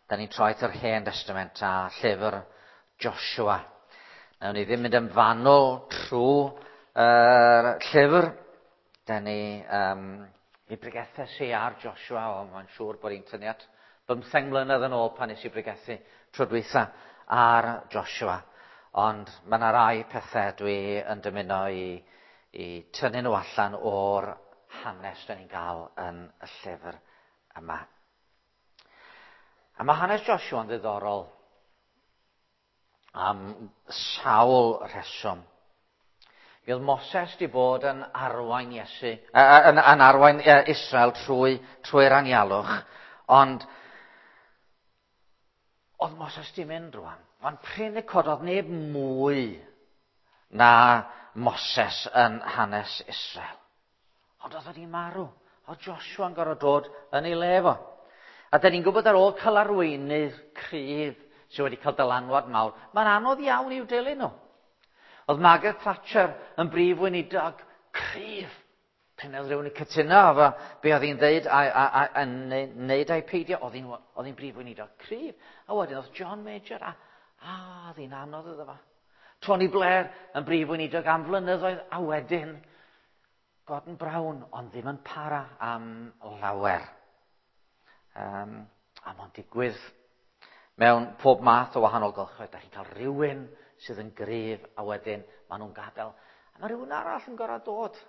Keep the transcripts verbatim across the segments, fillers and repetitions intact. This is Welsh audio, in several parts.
Da ni'n troi at yr Hen Testament a llyfr Joshua. Nawn ni ddim mynd yn fanwl trwy yr llyfr. Da ni, um, mi bregethes i ar Joshua, o, mae'n siŵr bod hi'n tynnu at bymtheng mlynedd yn ôl pan nes i bregethu tro dwytha ar Joshua. Ond mae yna rai pethau dwi yn dymuno i, i tynnu nhw allan o'r hanes da ni'n gael yn y llyfr yma. A mae hanes Joshua yn ddiddorol am sawl rheswm. Mi oedd Moses wedi bod yn arwain Iesu, yn, yn arwain Israel trwy, trwy'r anialwch, ond oedd Moses di mynd rwan. Ond prin y cododd neb mwy na Moses yn hanes Israel. Ond oedd wedi marw. Oedd Joshua yn gorfod dod yn ei le fo. A da ni'n gwybod ar ôl cael arweinydd cryf sydd wedi cael dylanwad mawr, mae'n anodd iawn i'w dilyn nhw. Oedd Margaret Thatcher yn brif weinidog cryf. Prin oedd rhywun yn cytuno efo be oedd hi'n dweud a, a, a, a wneud a'i peidio, oedd hi'n, oedd hi'n brif weinidog cryf. A wedyn oedd John Major, a, a oedd hi'n anodd iddo fo. Tony Blair yn brif weinidog am flynyddoedd, a wedyn Gordon Brown, ond ddim yn para am lawer. Um, a mae'n digwydd mewn pob math o wahanol gylchoedd. Da chi'n cael rhywun sydd yn gryf, a wedyn maen nhw'n gadael. A mae rhywun arall yn gorfod dod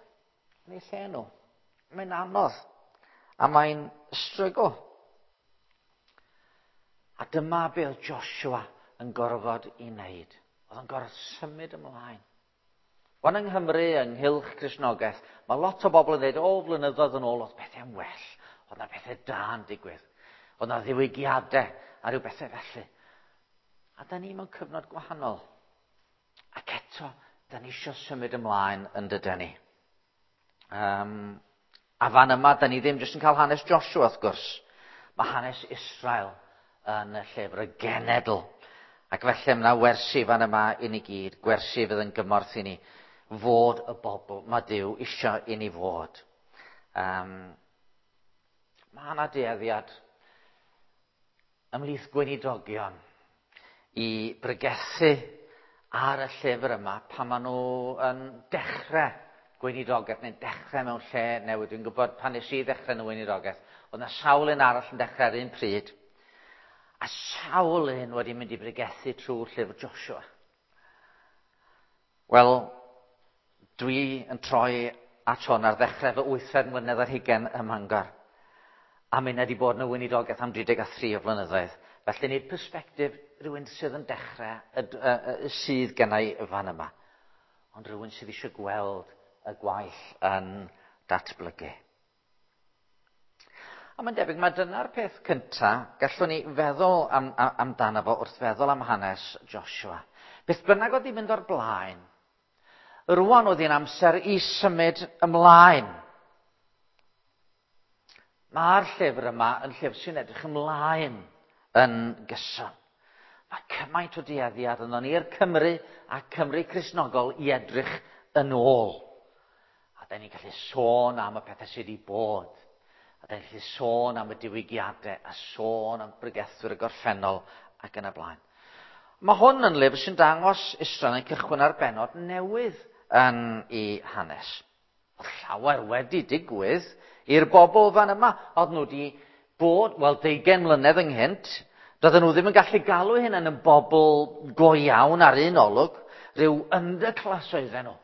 yn eu lle nhw. Mae'n anodd. A mae'n strygl. A dyma be oedd Joshua yn gorfod i wneud. Oedd yn gorfod symud ymlaen. Wan yng Nghymru, ynghylch Cristnogaeth, mae lot o bobl yn dweud, o, flynyddoedd yn ôl, oedd pethau'n well. Oedd yna pethau da yn digwydd. Oedd yna ddiwygiadau a rhyw bethau felly. A da ni mewn cyfnod gwahanol. Ac eto, da ni eisiau symud ymlaen yn dydan ni. Um, a fan yma, da ni ddim jyst yn cael hanes Joshua, wrth gwrs. Mae hanes Israel yn y llyfr, y genedl. Ac felly mae yna wersi fan yma i ni gyd, gwersi fydd yn gymorth i ni fod y bobl mae Duw eisiau i ni fod. Um, mae yna dueddiad ymhlith gweinidogion i bregethu ar y llyfr yma pan maen nhw yn dechrau gweinidogaeth neu'n dechrau mewn lle newydd. Dwi'n gwybod pan nes i ddechrau yn y weinidogaeth, oedd yna sawl un arall yn dechrau ar un pryd, a sawl un wedi mynd i bregethu trwy'r llyfr Joshua. Wel, dwi yn troi at hwn ar ddechrau fy wythfed mlynedd ar hugain ym Mangor. A mi wedi bod yn y weinidogaeth am dri deg a thri o flynyddoedd. Felly nid persbectif rhywun sydd yn dechrau y, y, y, sydd gennau y fan yma, ond rhywun sydd eisiau gweld y gwaith yn datblygu. A mae'n debyg, mae dyna'r peth cyntaf gallwn ni feddwl am, am, amdano fo wrth feddwl am hanes Joshua. Beth bynnag oedd hi'n mynd o'r blaen, rwan oedd hi'n amser i symud ymlaen. Mae'r llyfr yma yn llyfr sy'n edrych ymlaen yn gyson. Mae cymaint o dueddiad yno ni'r Cymru a Cymru Cristnogol i edrych yn ôl. A da ni'n gallu sôn am y pethau sydd wedi bod. A da ni'n gallu sôn am y diwygiadau a sôn am bregethwyr y gorffennol ac yn y blaen. Mae hwn yn lyfr sy'n dangos Israel yn cychwyn ar bennod newydd yn ei hanes. Oedd llawer wedi digwydd i'r bobl fan yma. Oedd nhw wedi bod, wel, deugain mlynedd ynghynt. Doedden nhw ddim yn gallu galw hynny yn bobl go iawn ar un olwg. Rhyw underclass oedden nhw.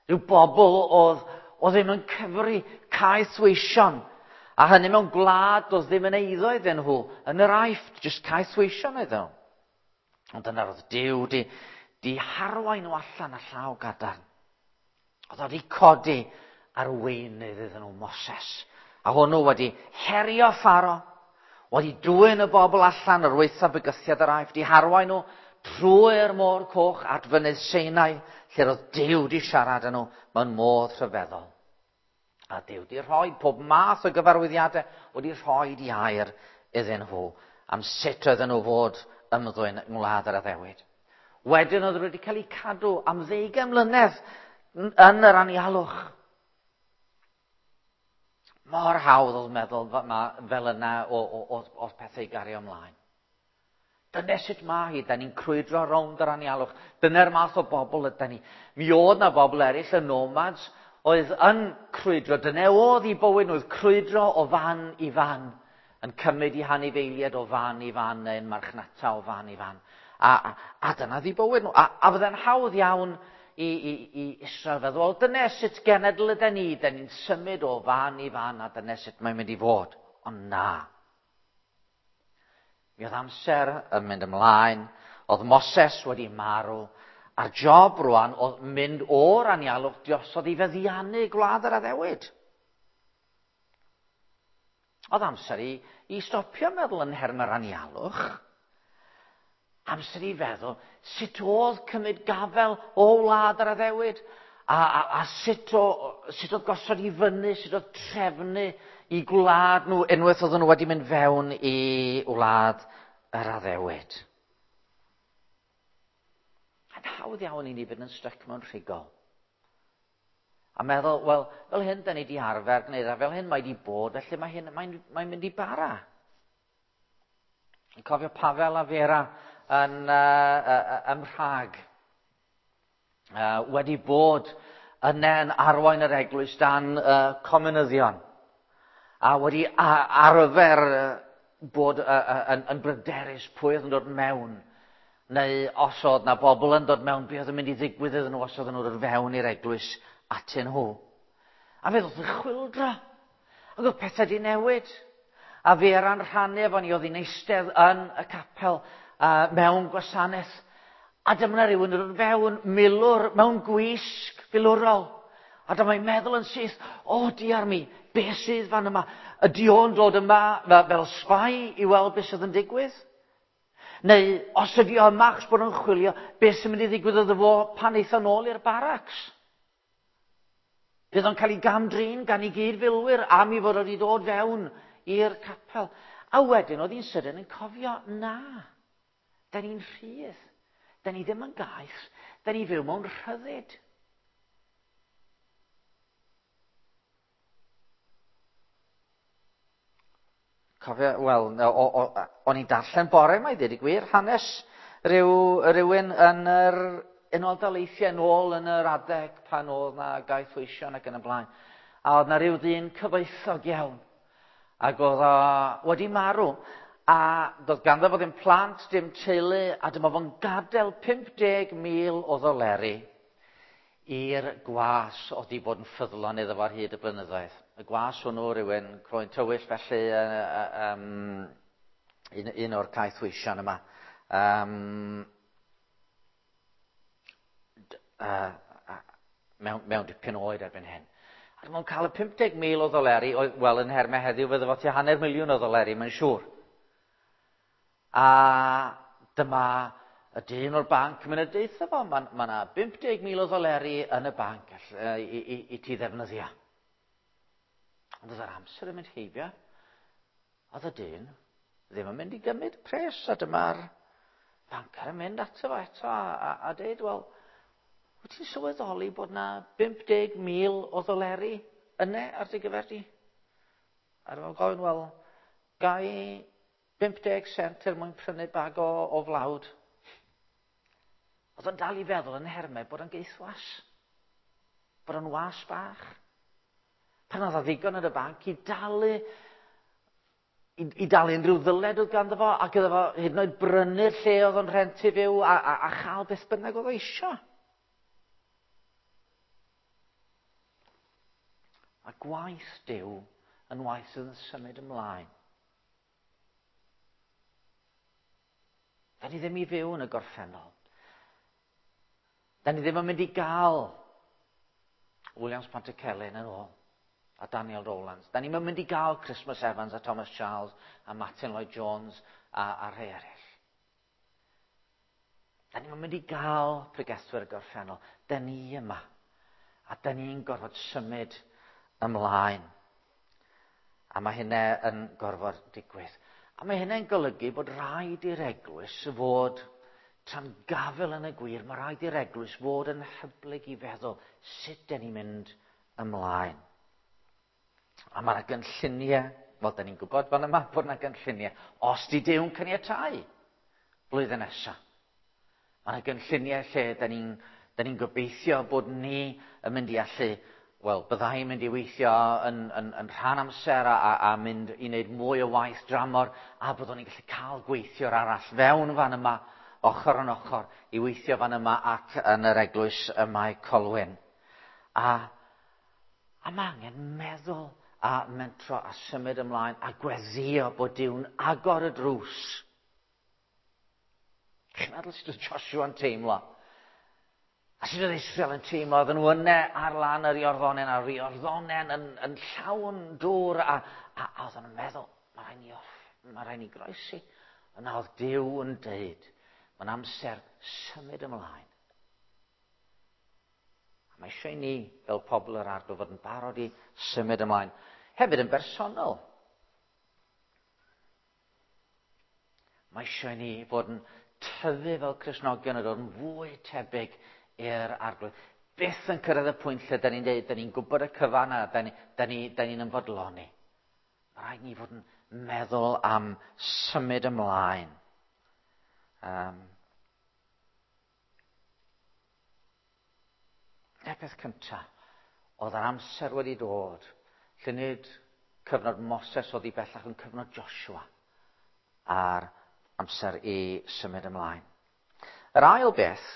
Rhyw bobl oedd, oedd ddim yn cyfri caethweision. A hynny mewn gwlad oedd ddim yn eiddo iddyn nhw. Yn yr Aifft, jyst caethweision oedden nhw. Ond dyna roedd Duw di, di harwain nhw allan â llaw gadarn. Oedd wedi codi arweinydd iddyn nhw, Moses. A hwnnw wedi herio Pharaoh, wedi dwyn y bobl allan ar waetha bygythiad yr Aifft, di harwain nhw trwy'r môr coch at fynydd Sinai, lle roedd Duw di siarad â nhw mewn modd rhyfeddol. A Duw di rhoi pob math o gyfarwyddiadau, wedi rhoi di air iddyn nhw am sut oedden nhw fod ymddwyn yng ngwlad yr addewid. Wedyn oedd wedi cael eu cadw am ddeugain mlynedd yn yr anialwch. Mor hawdd oedd meddwl fel yna o, o, o, o pethau i gario ymlaen. Dyna sut mae hi, da ni'n crwydro rownd yr anialwch. Dyna'r math o bobl ydy ni. Mi oedd na bobl eraill, y nomads, oedd yn crwydro. Dyna oedd i bywyd nhw, oedd crwydro o fan i fan, yn cymryd i hanifeiliaid o fan i fan, neu'n marchnata o fan i fan. A, a, a dyna ddi bywyd nhw. A, a fydde'n hawdd iawn i, i, i Israel feddwl, wel, dyna sut genedl ydy ni, da ni'n symud o fan i fan, a dyna sut mae'n mynd i fod. Ond na. Mi oedd amser yn mynd ymlaen, oedd Moses wedi marw, a'r job rwan oedd mynd o'r anialwch diosodd i feddiannu gwlad yr addewid. Oedd amser i, i stopio meddwl yn nhermau'r anialwch. Amser i feddwl sut oedd cymryd gafel o wlad yr addewid, a, a, a sut, o, sut oedd gosod i fyny, sut oedd trefnu i gwlad nhw unwaith oedden nhw wedi mynd fewn i wlad yr addewid. Mae'n hawdd iawn i ni fynd yn styc mewn rhigol. A meddwl, wel, fel hyn da ni wedi arfer gwneud, a fel hyn mae wedi bod, felly mae hyn, mae'n mae mynd i bara. Yn cofio Pavel a Vera yn uh, uh, ym Mhrag, uh, wedi bod yna yn arwain yr eglwys dan uh, comunyddion, a wedi arfer bod uh, uh, yn, yn bryderus pwy oedd yn dod mewn, neu os oedd na bobl yn dod mewn, be oedd yn mynd i ddigwydd iddyn nhw os oedden nhw'n dod fewn i'r eglwys atyn nhw. A fe ddoth yn chwyldro. Ac oedd pethau wedi newid. A Vera'n rhannu efo ni, oedd hi'n eistedd yn y capel uh, mewn gwasanaeth. A dyma rhywun yn dod fewn milwr mewn gwisg filwrol. A dyma'n meddwl yn syth, o diar mi, be sydd fan yma? Ydy o'n dod yma fel sbai i weld beth sydd yn digwydd? Neu os ydy o yma achos bod o'n chwilio, beth sy'n mynd i ddigwydd iddo fo pan eith o nôl i'r baracs? Bydd o'n cael ei gamdrin gan ei gyd-filwyr am ei fod wedi dod fewn i'r capel. A wedyn oedd hi'n sydyn yn cofio, na, da ni'n rhydd, da ni ddim yn gaeth, da ni fyw mewn rhyddid. Cofio, wel, o'n i'n darllen bore yma i ddweud y gwir, hanes rhyw, rhywun yn yr Unol Daleithiau nôl yn yr adeg pan oedd na gaethweision ac yn y blaen. A oedd na rhyw ddyn cyfoethog iawn. Ac oedd o wedi marw. A doedd ganddo fo ddim plant, dim teulu, a dyma fo'n gadael pump deg mil o ddoleri i'r gwas oedd wedi bod yn ffyddlon iddo fo ar hyd y blynyddoedd. Y gwas hwnnw, rhywun croen tywyll, felly uh, um, un, un o'r caethweision yma. Um, Uh, uh, mewn, mewn dipyn oed erbyn hyn. A dyma nhw'n cael y pump deg mil o ddoleri, wel yn nhermau heddiw fydde fo tua hanner miliwn o ddoleri, mae'n siŵr. A dyma y dyn o'r banc yn mynd a deutha fo, mae yna ma pump deg mil o ddoleri yn y banc uh, i, i, i ti ddefnyddio. Ond oedd yr amser yn mynd heibio, oedd y dyn ddim yn mynd i gymryd pres, a dyma'r bancer yn mynd ato fo eto a, a, a deud, wel, wyt ti'n sylweddoli bod na pump deg mil o ddoleri yna ar dy gyfer di? A dyma'n gofyn, wel, gai pump deg sent er mwyn prynu bag o, o flawd. Oedd o'n dal i feddwl yn nhermau bod o'n geithwas, bod o'n was bach. Pan oedd o ddigon yn y banc i dalu, i, i dalu unrhyw ddyled oedd ganddo fo, ac iddo fo hyd yn oed brynu'r lle oedd o'n rhentu fyw a, a, a chael beth bynnag oedd o isio. A gwaith Duw yn waith sydd yn symud ymlaen. Da ni ddim i fyw yn y gorffennol. Da ni ddim yn mynd i gael Williams Pantycelyn yn ôl a Daniel Rowlands. Da ni'n mynd i gael Christmas Evans a Thomas Charles a Martin Lloyd Jones a, a rhai eraill. Da ni'n mynd i gael pregethwyr y gorffennol. Da ni yma. A da ni'n gorfod symud ymlaen. A mae hynna yn gorfod digwydd. A mae hynna'n golygu bod rhaid i'r eglwys fod tra'n gafel yn y gwir, mae rhaid i'r eglwys fod yn hyblyg i feddwl sut dyn ni'n mynd ymlaen. A mae yna gynlluniau, wel, dyn ni'n gwybod fan yma bod yna gynlluniau, os di Duw'n caniatáu. blwyddyn nesaf. Mae yna gynlluniau lle da ni'n ni gobeithio bod ni yn mynd i allu, wel, byddai'n mynd i weithio yn, yn, yn rhan amser a, a, a mynd i wneud mwy o waith dramor, a byddwn ni'n gallu cael gweithiwr arall fewn fan yma, ochr yn ochr, i weithio fan yma ac yn yr eglwys y Mae Colwyn. A, a mae angen meddwl a mentro a symud ymlaen a gweddïo bod Duw'n agor y drws. Chi'n meddwl sut oedd Joshua yn teimlo? A sut oedd Israel yn teimlo? Oedden nhw yna ar lan yr Iorddonen, a'r Iorddonen yn, yn llawn dŵr, a, a, a oedden nhw'n meddwl, mae rhaid ni off, mae rhaid ni groesi. Yna oedd Duw yn deud, mae'n amser symud ymlaen. A mae eisiau i ni, fel pobl yr Arglwydd, fod yn barod i symud ymlaen. Hefyd yn bersonol. Mae eisiau i ni fod yn tyfu fel Cristnogion a dod yn fwy tebyg i'r Arglwydd. Byth yn cyrraedd y pwynt lle da ni'n dweud, da ni'n gwybod y cyfan a da ni'n da ni, da ni ymfodloni. Mae rhaid ni fod yn meddwl am symud ymlaen. Um, y peth cyntaf, oedd yr amser wedi dod, lle nid cyfnod Moses oedd i bellach yn cyfnod Joshua a'r amser i symud ymlaen. Yr ail beth,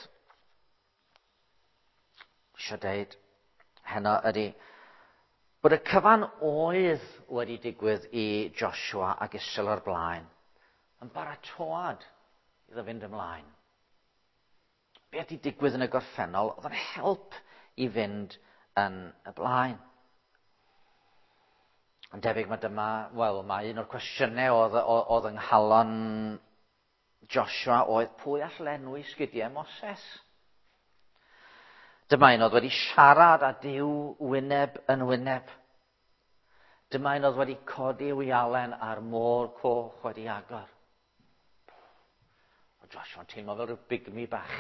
eisiau dweud heno ydy, bod y cyfan oedd wedi digwydd i Joshua ac Israel o'r blaen yn baratoad iddo fynd ymlaen. Be wedi digwydd yn y gorffennol oedd yn help i fynd yn y blaen. Yn debyg mae dyma, wel, mae un o'r cwestiynau oedd, oedd yng nghalon Joshua oedd pwy all lenwi sgidiau Moses? Dyma un oedd wedi siarad â Duw wyneb yn wyneb. Dyma un oedd wedi codi wialen a'r môr coch wedi agor. O Joshua'n teimlo fel rhyw bigmi bach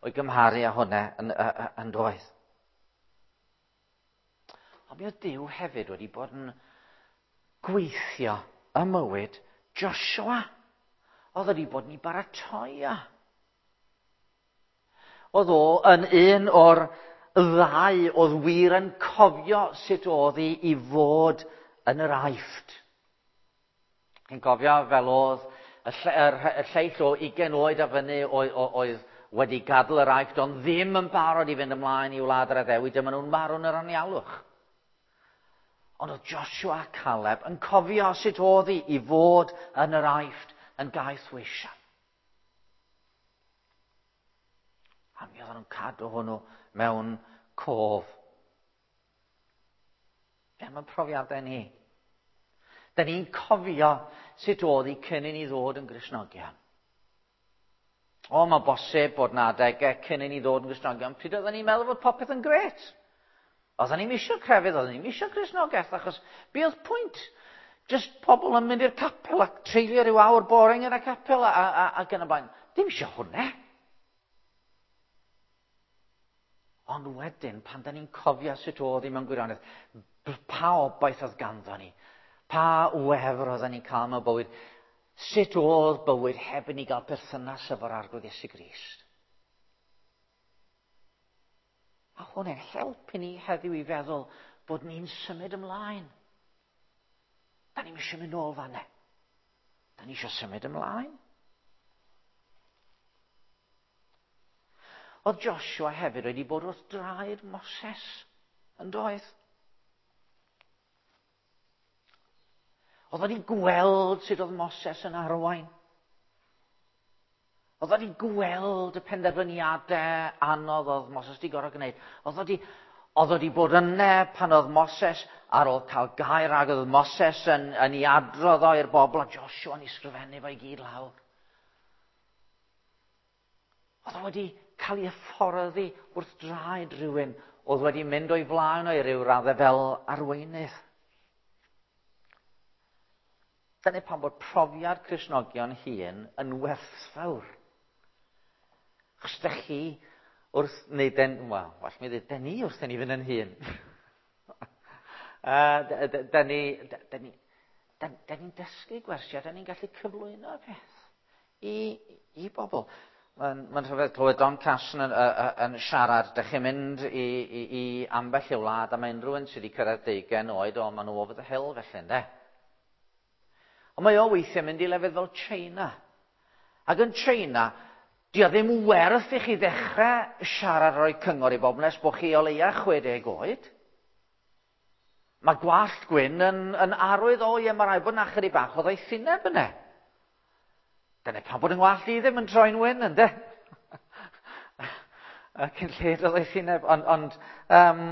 o'i gymharu â hwnna yn, yn, yn doedd. Ond mi oedd Duw hefyd wedi bod yn gweithio ym mywyd Joshua. Oedd wedi bod yn ei baratoi o. Oedd o yn un o'r ddau oedd wir yn cofio sut oedd hi i fod yn yr Aifft. Chi'n cofio fel oedd y, lle, y lleill o ugain oed a fyny oedd, oedd wedi gadael yr Aifft, ond ddim yn barod i fynd ymlaen i wlad yr addewid, dyma nhw'n marw yn yr anialwch. Ond oedd Joshua a Caleb yn cofio sut oedd hi i fod yn yr Aifft yn gaethweisiau. A mi oedden nhw'n cadw hwnnw mewn cof. Be am y profiadau ni? Da ni'n cofio sut oedd hi cyn i ni ddod yn Gristnogion. O, mae'n bosib bod na adegau cyn i ni ddod yn Gristnogion, pryd oedden ni'n meddwl fod popeth yn gret. Oedden ni'n isio crefydd, oedden ni'n isio Cristnogaeth, achos be oedd pwynt? Just pobl yn mynd i'r capel ac treulio rhyw awr boring yn y capel a, a, ac yn y blaen. Dim isio hwnna. Ond wedyn, pan da ni'n cofio sut oedd hi mewn gwirionedd, pa obaith oedd ganddo ni, pa wefr oedden ni'n cael mewn bywyd, sut oedd bywyd heb i ni gael perthynas efo'r Arglwydd Iesu Grist. A hwnna'n helpu ni heddiw i feddwl bod ni'n symud ymlaen. Da ni'n eisiau mynd nôl fan'na. Da ni eisiau symud ymlaen. Oedd Joshua hefyd wedi bod wrth draed Moses yn doedd. Oedd wedi gweld sut oedd Moses yn arwain. Oedd wedi gweld y penderfyniadau anodd oedd Moses wedi gorfod gwneud. Oedd wedi, oedd wedi bod yna pan oedd Moses ar ôl cael gair ag oedd Moses yn, yn ei adrodd o i'r bobl a Joshua yn ei sgrifennu fo i gyd lawr. Oedd wedi cael ei hyfforddi wrth draed rhywun oedd wedi mynd o'i flaen o i ryw raddau fel arweinydd. Dyna pam bod profiad Cristnogion hŷn yn werthfawr. Achos dych chi wrth, neu den, wel, well mi ddweud, den ni wrth i ni fynd yn hŷn. uh, den ni, den ni, den, den ni'n dysgu gwersi a den ni'n gallu cyflwyno y peth i, i bobl. Mae'n ma rhyfedd clywed Don Carson yn, yn, yn siarad. Dych chi'n mynd i, i, i ambell i wlad a mae unrhyw un sydd wedi cyrraedd deugain oed, o, maen nhw over the hill felly, ynde? Ond mae o weithiau mynd i lefydd fel China. Ac yn China, di o ddim werth i chi ddechrau siarad rhoi cyngor i bobl nes bod chi o leia chwe deg oed. Mae gwallt gwyn yn, yn arwydd, o ie, mae rhaid bod 'na chydig bach o ddoethineb yna. Dyna pam bod yng ngwallt i ddim yn troi'n wyn, ynde? Cyn lled o ddoethineb. Ond, ond um,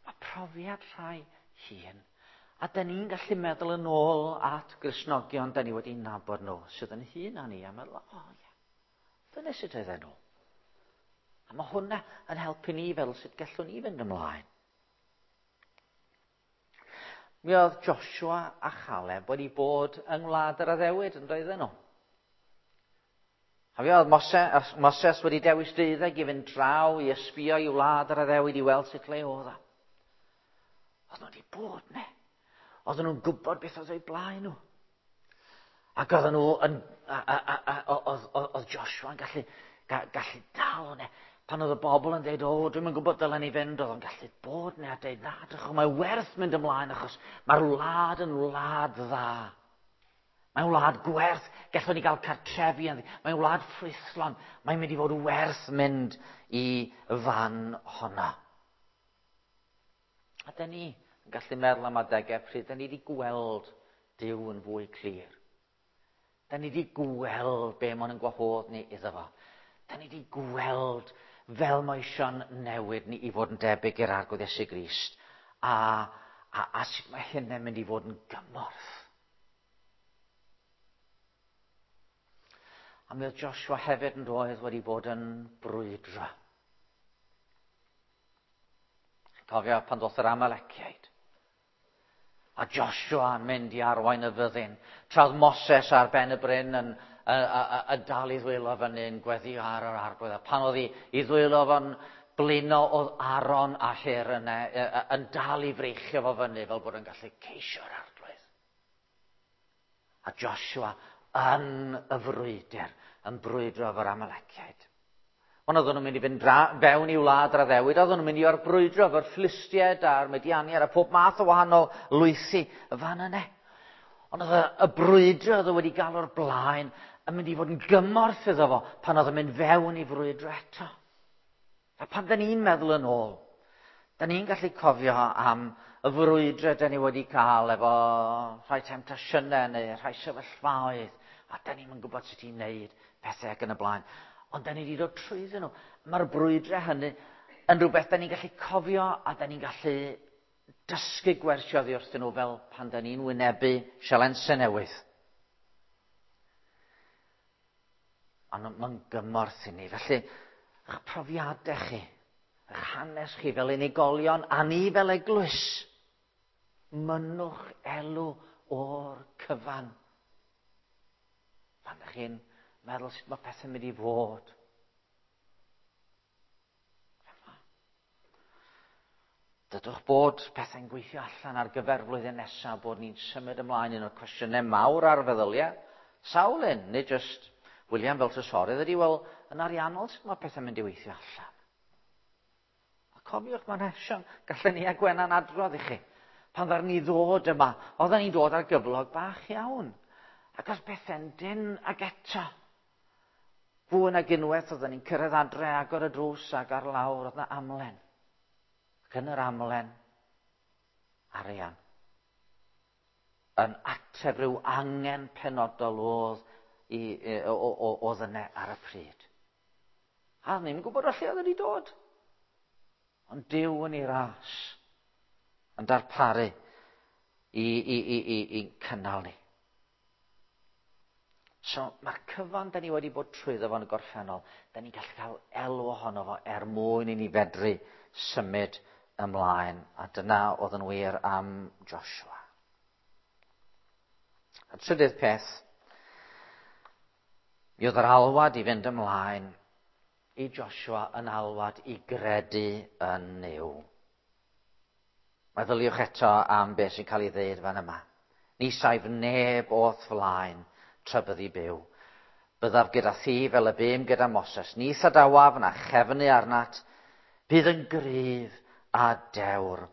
mae profiad rhai hŷn. A da ni'n gallu meddwl yn ôl at Gristnogion da ni wedi nabod nhw, sydd yn hŷn na ni, a meddwl, o oh, ie, dyna sut oedden nhw. A mae hwnna yn helpu ni fel sut gallwn ni fynd ymlaen. Mi oedd Joshua a Caleb wedi bod yng Ngwlad yr Addewid, yn doedden nhw. A mi oedd Moses, Moses wedi dewis deuddeg i fynd draw i ysbio i wlad yr addewid i weld sut le oedd o. Oedd nhw wedi bod ne. Oedden nhw'n gwybod beth oedd o'u blaen nhw. Ac oedden nhw yn, a, a, a, a, oedd, oedd Joshua yn gallu, ga, gallu dal ne. Pan oedd y bobl yn dweud, o, dwi'm yn gwybod dylen ni fynd, oedd o'n gallu bod ne a dweud, na, drychwch, mae werth mynd ymlaen achos mae'r wlad yn wlad dda. Mae'n wlad gwerth, gallwn ni gael cartrefi ynddi. Mae'n wlad ffrwythlon, mae'n mynd i fod werth mynd i fan honna. A dyn ni yn gallu meddwl am adegau pryd dyn ni wedi gweld Duw yn fwy clir. Dyn ni wedi gweld be mae'n gwahodd ni iddo fo. Dyn ni wedi gweld fel mae eisiau'n newid ni i fod yn debyg i'r Arglwydd Iesu Grist. A, a, a sut mae hynny'n mynd i fod yn gymorth. A mi oedd Joshua hefyd yn doedd wedi bod yn brwydro. Cofio pan ddoth yr Amaleciaid. A Joshua yn mynd i arwain y fyddin. Tra oedd Moses ar ben y bryn yn, yn, yn, yn dal i ddwylo fyny yn gweddio ar yr Arglwydd. A pan oedd i, i ddwylo fo'n blino oedd Aaron a Hur yna yn dal i freichio fo fyny fel bod yn gallu ceisio'r Arglwydd. A Joshua yn y frwydr, yn brwydro efo'r Amaleciaid. Ond oedden nhw'n mynd i fynd fewn i wlad yr addewid, oedden nhw'n mynd i orbrwydro efo'r Philistiaid a'r Midianiaid a pob math o wahanol lwythi y fan yna. Ond oedd y, y brwydro oedd wedi gael o'r blaen yn mynd i fod yn gymorth iddo fo pan oedd yn mynd fewn i frwydro eto. A pan da ni'n meddwl yn ôl, da ni'n gallu cofio am y frwydro da ni wedi cael efo rhai temtasiynau neu rhai sefyllfaoedd, a da ni'n gwybod sut i wneud pethau ac yn y blaen. Ond da ni wedi dod trwyddyn nhw. Mae'r brwydrau hynny yn rhywbeth da ni'n gallu cofio a da ni'n gallu dysgu gwersi oddi wrthyn nhw fel pan da ni'n wynebu sialensau newydd. Ond mae'n gymorth i ni. Felly, eich profiadau chi, eich hanes chi fel unigolion a ni fel eglwys, mynnwch elw o'r cyfan. Pan ydych chi'n meddwl sut mae pethau'n mynd i fod. Dydwch bod pethau'n gweithio allan ar gyfer flwyddyn nesaf, bod ni'n symud ymlaen un o'r cwestiynau mawr ar feddyliau. Sawl un, nid just William fel trysorydd ydy, wel, yn ariannol sut mae pethau'n mynd i weithio allan. A cofiwch, mae'n eisiau, gallen ni a Gwenan adrodd i chi. Pan ddaru ni ddod yma, oedden ni'n dod ar gyflog bach iawn. Ac os pethau'n dyn ag eto, fwy nag unwaith oedden ni'n cyrraedd adre, agor y drws ac ar lawr, oedd yna amlen. Ac yn yr amlen, arian. Yn ateb rhyw angen penodol oedd, i, oedd yna ar y pryd. A ni'n gwybod o lle oedd wedi dod. Ond Duw yn ei ras yn darparu i, i, i, i, i cynnal ni. So mae'r cyfan da ni wedi bod trwyddo fo yn y gorffennol, da ni'n gallu cael elw ohono fo er mwyn i ni fedru symud ymlaen. A dyna oedd yn wir am Joshua. A trydydd peth, mi oedd yr alwad i fynd ymlaen i Joshua yn alwad i gredu yn Nuw. Meddyliwch eto am beth sy'n cael ei ddeud fan yma. Ni saif neb o'th flaen, tra byddi byw. Byddaf gyda thi fel y bum gyda Moses. Ni adawaf na chefnu arnat. Bydd yn gryf a dewr.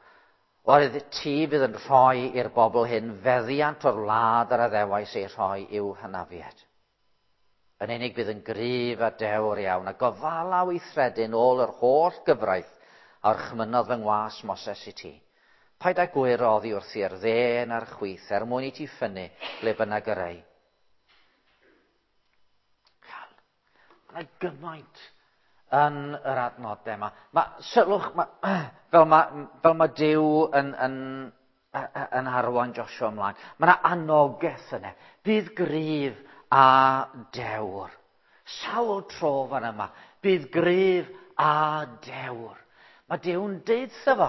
Oherwydd ti fydd yn rhoi i'r bobl hyn feddiant o'r wlad yr addewais ei rhoi i'w hynafiad. Yn unig bydd yn gryf a dewr iawn, a gofala weithredu'n ôl yr holl gyfraith a orchmynnodd fy ngwas Moses i ti. Paid â gwyro oddi wrth i'r dde na'r chwith, er mwyn i ti ffynnu ble bynnag yr ei. Mae gymaint yn yr adnodau yma. Mae, sylwch, ma, fel mae, fel mae Duw yn, yn, yn arwain Joshua ymlaen, mae yna anogaeth yna. Bydd gryf a dewr. Sawl tro fan yma. Bydd gryf a dewr. Mae Duw'n deud wrtho fo.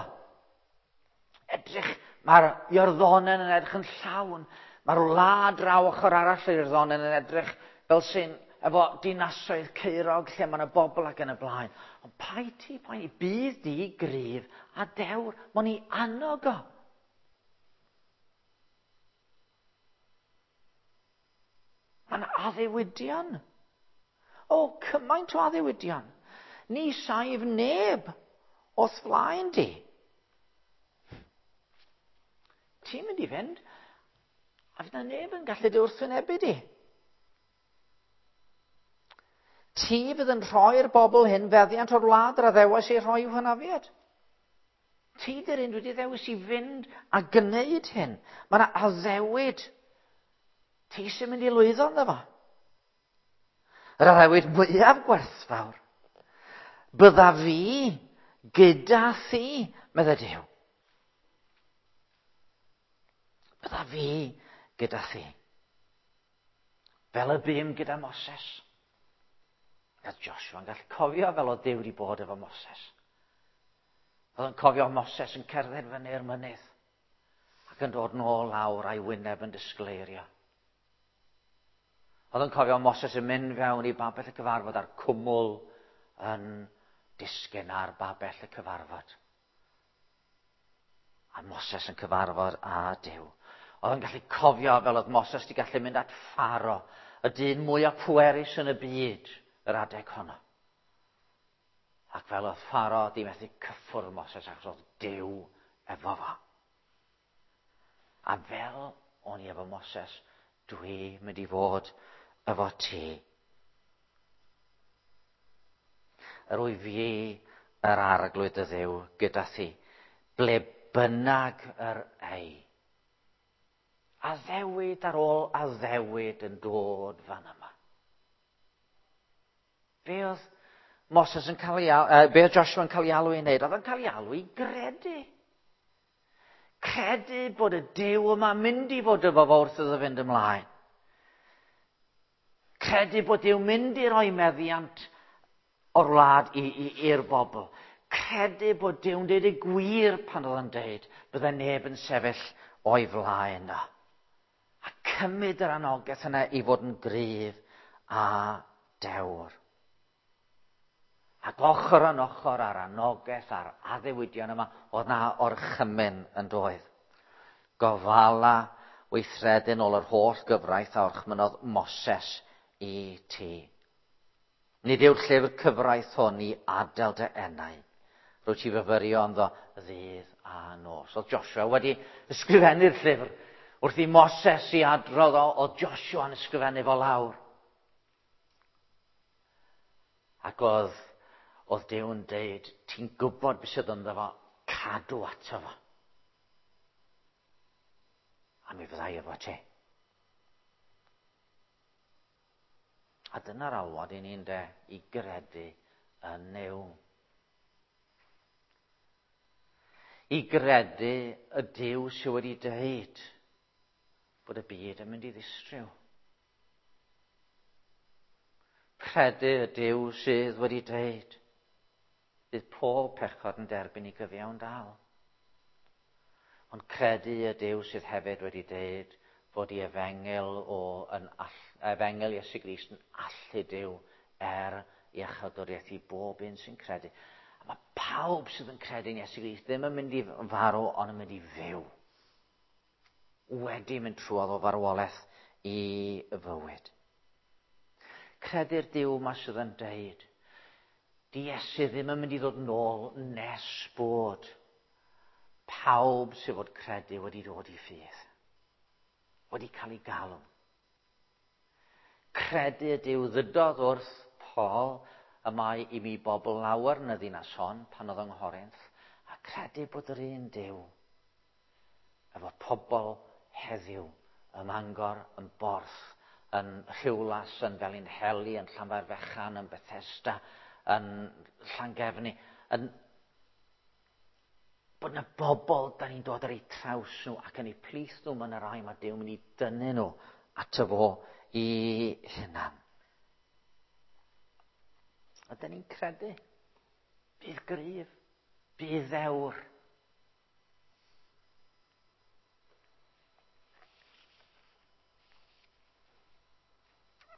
Edrych, mae'r Iorddonen yn edrych yn llawn. Mae'r wlad draw ochr arall yr Iorddonen yn edrych fel sy'n efo dinasoedd caerog lle mae yna bobl ac yn y blaen. Ond paid ti, paid, bydd di gryf a dewr. Mae'n i annog o. Mae'n addewidion. O, cymaint o addewidion. Ni saif neb o'th flaen di. Ti'n mynd i fynd, a fydd na neb yn gallu dy wrthwynebu di. Ti fydd yn rhoi'r bobl hyn feddiant o'r wlad yr addewais ei rhoi i'w hynafiad. Ti dy'r un wedi ddewis i fynd a gwneud hyn. Mae yna addewid. Ti sy'n mynd i lwyddo ynddo fo. Yr addewid mwyaf gwerthfawr. Bydda fi gyda thi, medde Duw. Bydda fi gyda thi. Fel y bum gyda Moses. Oedd Joshua yn gallu cofio fel oedd Duw wedi bod efo Moses. Oedd yn cofio Moses yn cerdded fyny'r mynydd ac yn dod nôl lawr a'i wyneb yn disgleirio. Oedd yn cofio Moses yn mynd fewn i babell y cyfarfod a'r cwmwl yn disgyn ar babell y cyfarfod. A Moses yn cyfarfod â Duw. Oedd yn gallu cofio fel oedd Moses wedi gallu mynd at Pharaoh, y dyn mwyaf pwerus yn y byd, yr adeg honno. Ac fel oedd Pharaoh di methu cyffwrdd Moses achos oedd Duw efo fo. A fel o'n i efo Moses, dwi mynd i fod efo ti. Yr wyf fi yr arglwydd y Dduw gyda thi, ble bynnag yr ei. Addewid ar ôl addewid yn dod fan yma. Be oedd Moses yn cael ei, uh, be oedd Joshua yn cael ei alw i wneud? Oedd yn cael ei alw i gredu. Credu bod y Duw yma mynd i fod efo fo wrth iddo fynd ymlaen. Credu bod Duw mynd i roi meddiant o'r wlad i'r bobl. Credu bod Duw'n deud y gwir pan oedd yn deud bydde neb yn sefyll o'i flaen o. A cymryd yr anogaeth yna i fod yn gryf a dewr. Ac ochr yn ochr â'r anogaeth a'r addewidion yma, oedd na orchymyn yn doedd. Gofala weithredu'n ôl yr holl gyfraith a orchmynnodd Moses i ti. Nid yw'r llyfr cyfraith hwn i adael dy enau. Rwyt ti fyfyrio ynddo ddydd a nos. Oedd Joshua wedi ysgrifennu'r llyfr. Wrth i Moses i adrodd o, oedd Joshua yn ysgrifennu fo lawr. Ac oedd Oedd Duw yn deud, ti'n gwybod beth sydd ynddo fo, cadw ato fo. A mi fyddai efo ti. A dyna'r alwad i ni'n de, i gredu yn Nuw. I gredu y Duw sydd wedi deud bod y byd yn mynd i ddistryw. Credu y Duw sydd wedi deud bydd pob pechod yn derbyn i gyfiawn dal. Ond credu y Duw sydd hefyd wedi deud fod i efengyl o yn all, efengyl Iesu Grist yn allu Duw er iachawdwriaeth i bob un sy'n credu. A mae pawb sydd yn credu yn Iesu Grist ddim yn mynd i farw, ond yn mynd i fyw. Wedi mynd trwodd o farwolaeth i fywyd. Credu'r Duw yma sydd yn deud, di Iesu ddim yn mynd i ddod nôl nes bod pawb sydd fod credu wedi dod i ffydd, wedi cael ei galw. Credu y Duw ddydodd wrth Paul y mae i mi bobl lawer yn y ddinas hon pan oedd yng Nghorinth, a credu bod yr un Duw efo pobl heddiw ym Mangor, yn Borth, yn Rhiwlas, yn Felinheli, yn Llanfairfechan, yn Bethesda, yn Llangefni, yn bod yna bobl da ni'n dod ar eu traws nhw ac yn eu plith nhw, mae yna rai mae Duw yn mynd i dynnu nhw ato fo i hunan. A da ni'n credu, bydd gryf, bydd ddewr.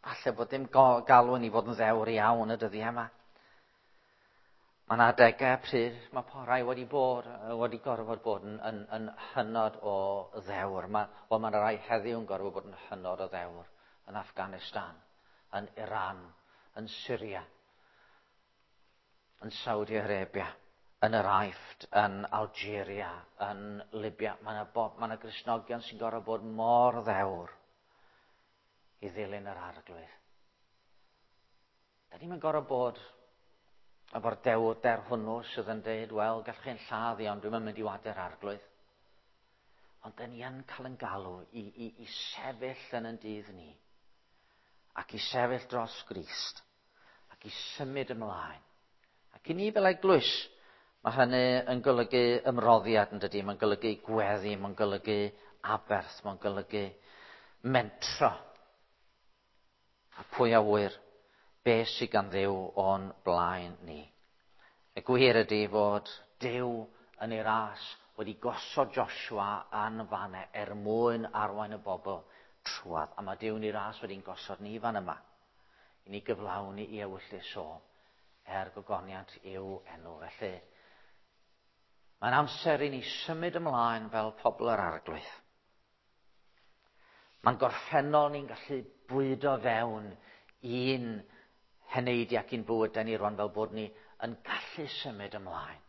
Falle bod dim galw ni fod yn ddewr iawn y dyddiau yma. Mae yna adegau pryd mae rhai wedi bod, wedi gorfod bod yn, yn, yn hynod o ddewr. Mae, wel, mae yna rai heddiw yn gorfod bod yn hynod o ddewr yn Afghanistan, yn Iran, yn Syria, yn Saudi Arabia, yn yr Aifft, yn Algeria, yn Libya. Mae yna, bo, mae yna Gristnogion sy'n gorfod bod mor ddewr i ddilyn yr Arglwydd. Da ni'n gorfod bod efo'r dewrder hwnnw sydd yn dweud, wel, gallwch chi'n lladd i, ond dwi'm yn mynd i wadu'r Arglwydd. Ond da ni yn cael yn galw i, i, i sefyll yn yn dydd ni, ac i sefyll dros Grist, ac i symud ymlaen. Ac i ni fel eglwys, mae hynny yn golygu ymroddiad yn dydy, mae'n golygu gweddi, mae'n golygu aberth, mae'n golygu mentro. A pwy a ŵyr, beth sydd gan Dduw o'n blaen ni. Y gwir ydy fod Duw yn ei ras wedi gosod Joshua yn fanne er mwyn arwain y bobl trwadd. A mae Duw yn ei ras wedi'n gosod ni fan yma, i ni gyflawni i ewyllys o er gogoniant i'w enw. Felly, mae'n amser i ni symud ymlaen fel pobl yr Arglwydd. Mae'n gorffennol ni'n gallu bwydo fewn i'n heneidiau ac i'n bywydau ni rwan fel bod ni yn gallu symud ymlaen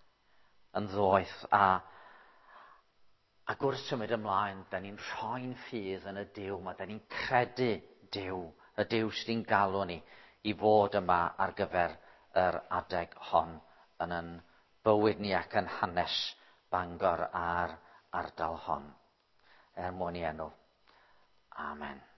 yn ddoeth. A, ac wrth symud ymlaen, da ni'n rhoi'n ffydd yn y Duw yma, da ni'n credu Duw, y Duw sydd wedi'n galw ni i fod yma ar gyfer yr adeg hon yn yn bywyd ni ac yn hanes Bangor a'r ardal hon. Er mwyn i enw. Amen.